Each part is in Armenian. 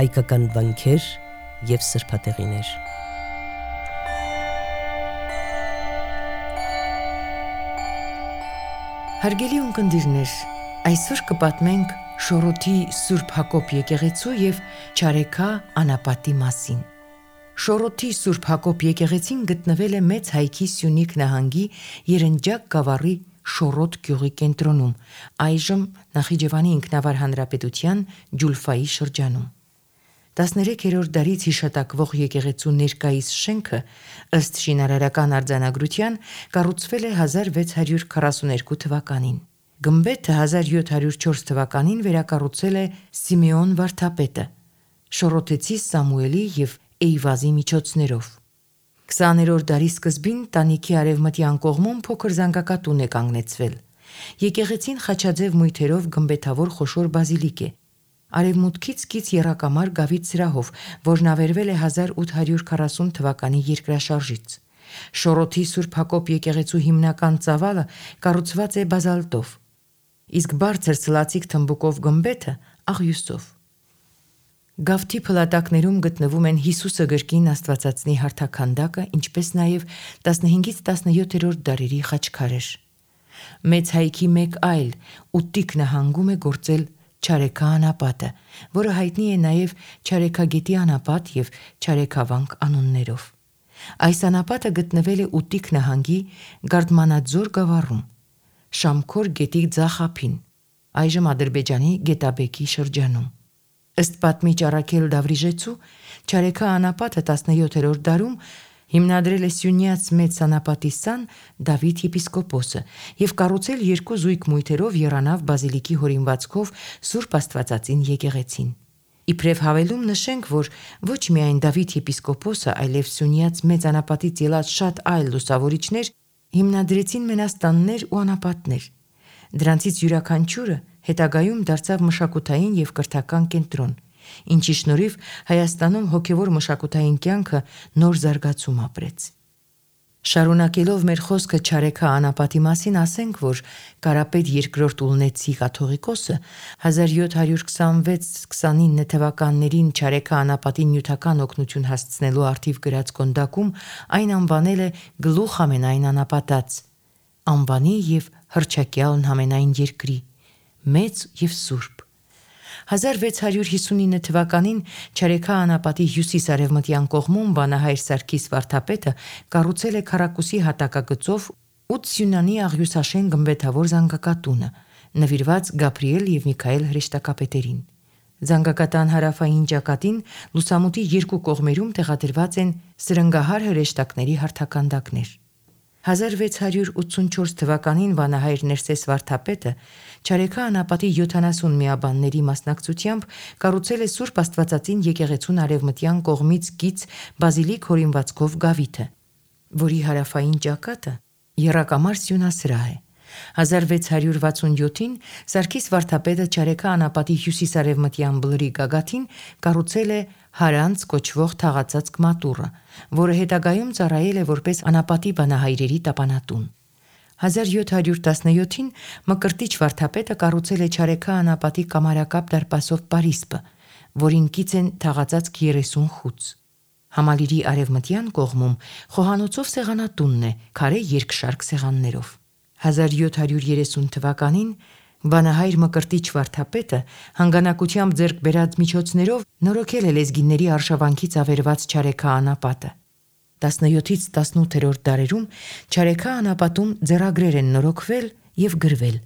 հայկական վանքեր և սրբատեղիներ։ Հարգելի ունկնդիրներ, այսօր կպատմենք Շորոթի Սուրբ Հակոբ եկեղեցու և Չարեքա անապատի մասին։ Շորոթի Սուրբ Հակոբ եկեղեցին գտնվել է Մեծ Հայքի Սյունիք նահանգի Երնջակ գավառի Շորոթ գյուղի կենտրոնում, այժմ Նախիջևանի ինքնավար հանրապետության Ջուլֆայի շրջանում։ 13-րդ դարից հիշատակվող եկեղեցու ներկայիս շենքը, ըստ շինարարական արձանագրության, կառուցվել է 1642 թվականին։ Գմբեթը 1704 թվականին վերակառուցել է Սիմեոն վարդապետը, շորոթեցի Սամուելի և Էյվազի միջոցներով։ 20-րդ դարի սկզբին տանիքի արևմտյան կողմում փոքր զանգակատուն է կանգնեցվել։ Եկեղեցին խաչաձև մույթերով գմբեթավոր խոշոր բազիլիկ է։ Արևմուտքից կից եռակամար գավիթ սրահով, որն ավերվել է 1840 թվականի երկրաշարժից։ Շորոթի Սուրբ Հակոբ եկեղեցու հիմնական ծավալը կառուցված է բազալտով, իսկ բարձր սլացիկ թմբուկով գմբեթը աղյուսով։ Գավթի փլատակներում գտնվում են Հիսուսը գրքին Աստվածածնի հարթաքանդակը, ինչպես նաև 15-ից 17-րդ դարերի խաչքարեր։ Մեծ Հայքի մեկ այլ Ուտիկ նահանգում է գործել Չարեքա անապատը, որը հայտնի է նաև Չարեքագետի անապատ և Չարեքավանք անուններով։ Այս անապատը գտնվել է Ուտիկ նահանգի Գարդմանաձոր գավառում, Շամքոր գետի ձախ ափին, այժմ Ադրբեջանի Գետաբեկի շրջանում։ Ըստ պատմիչ Առաքել Դավրիժեցու, Չարեքա անապատը 17-րդ դարում հիմնադրել է Սյունյաց մեծ անապատի սան Դավիթ եպիսկոպոսը և կառուցել երկու զույգ մույթերով եռանավ բազիլիկի հորինվածքով Սուրբ Աստվածածին եկեղեցին։ Իբրև հավելում նշենք, որ ոչ միայն Դավիթ եպիսկոպոսը, այլև Սյունյաց մեծ անապատից ելած շատ այլ լուսավորիչներ հիմնադրեցին մենաստաններ ու անապատներ։ Դրանցից յուրաքանչյուրը հետագայում դարձավ մշակութային և կրթական կենտրոն, ինչի շնորհիվ Հայաստանում հոգևոր մշակութային կյանքը նոր զարգացում ապրեց։ Շարունակելով մեր խոսքը Չարեքա անապատի մասին, ասենք, որ Կարապետ II Ուլնեցի կաթողիկոսը 1726-29 թվականներին Չարեքա անապատին նյութական օգնություն հասցնելու առթիվ գրած կոնդակում այն անվանել է գլուխ ամենայն անապատած, անվանի և հռչակյալն ամենայն երկրի, մեծ և սուրբ։ 1659 թվականին Չարեքա անապատի հյուսիս-արևմտյան կողմում վանահայր Սարգիս վարդապետը կառուցել է քառակուսի հատակագծով 8 սյունանի աղյուսաշեն գմբեթավոր զանգակատունը, նվիրված Գաբրիել և Միքայել հրեշտակապետերին։ Զանգակատան հարավային ճակատին լուսամուտի երկու կողմերում տեղադրված են սրնգահար հրեշտակների հարթականդակներ։ 1684 թվականին վանահայր Ներսես վարդապետը Չարեքա անապատի 70 միաբանների մասնակցությամբ կառուցել է Սուրբ Աստվածածին եկեղեցուն արևմտյան կողմից կից բազիլիկ հորինվածքով գավիթը, որի հարավային ճակատը եռակամար սյունասրահ է։ 1667-ին Սարգիս վարդապետը Չարեքա անապատի հյուսիս-արևմտյան բլրի գագաթին կառուցել է Հարանց կոչվող թաղածածկ մատուռը, որը հետագայում ծառայել է որպես անապատի բանահայրերի տապանատուն։ 1717-ին Մկրտիչ վարդապետը կառուցել է Չարեքա անապատի կամարակապ դարպասով պարիսպը, որին կից են թաղածածկ 30 խուց։ Համալիրի արևմտյան կողմում խոհանոցով սեղանատունն է, քարե երկշարք սեղաններով։ 1730 թվականին վանահայր Մկրտիչ վարդապետը հանգանակությամբ ձեռք բերած միջոցներով նորոգել է լեզգիների արշավանքից ավերված Չարեքա անապատը։ 17-ից 18-րդ դարերում Չարեքա անապատում ձեռագրեր են նորոգվել և գրվել։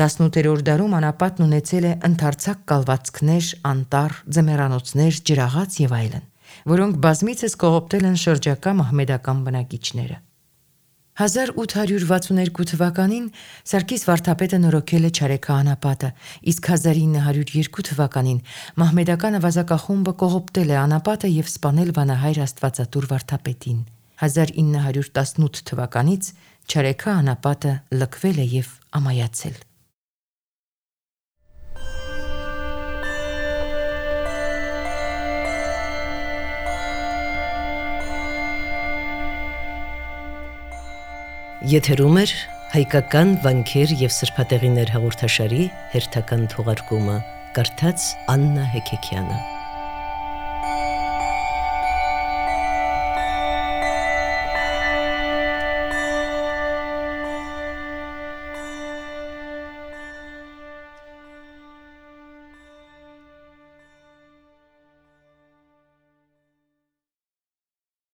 18-րդ դարում անապատն ունեցել է ընդարձակ կալվածքներ, անտառ, ձմեռանոցներ, ջրաղաց և այլն, որոնք բազմիցս կողոպտել են շրջակա մահմեդական բնակիչները։ 1862 թվականին Սարգիս վարդապետը նորոգել է Չարեքա անապատը, իսկ 1902 թվականին մահմեդական ավազակախումբը կողոպտել է անապատը և սպանել վանահայր Աստվածատուր վարդապետին։ 1918 թվականից Չարեքա անապատը լքվել է և ամայացել։ Եթերում է հայկական վանքեր և սրբատեղիներ հաղորդաշարի հերթական թողարկումը, կարդաց Աննա Հեքեքյանը։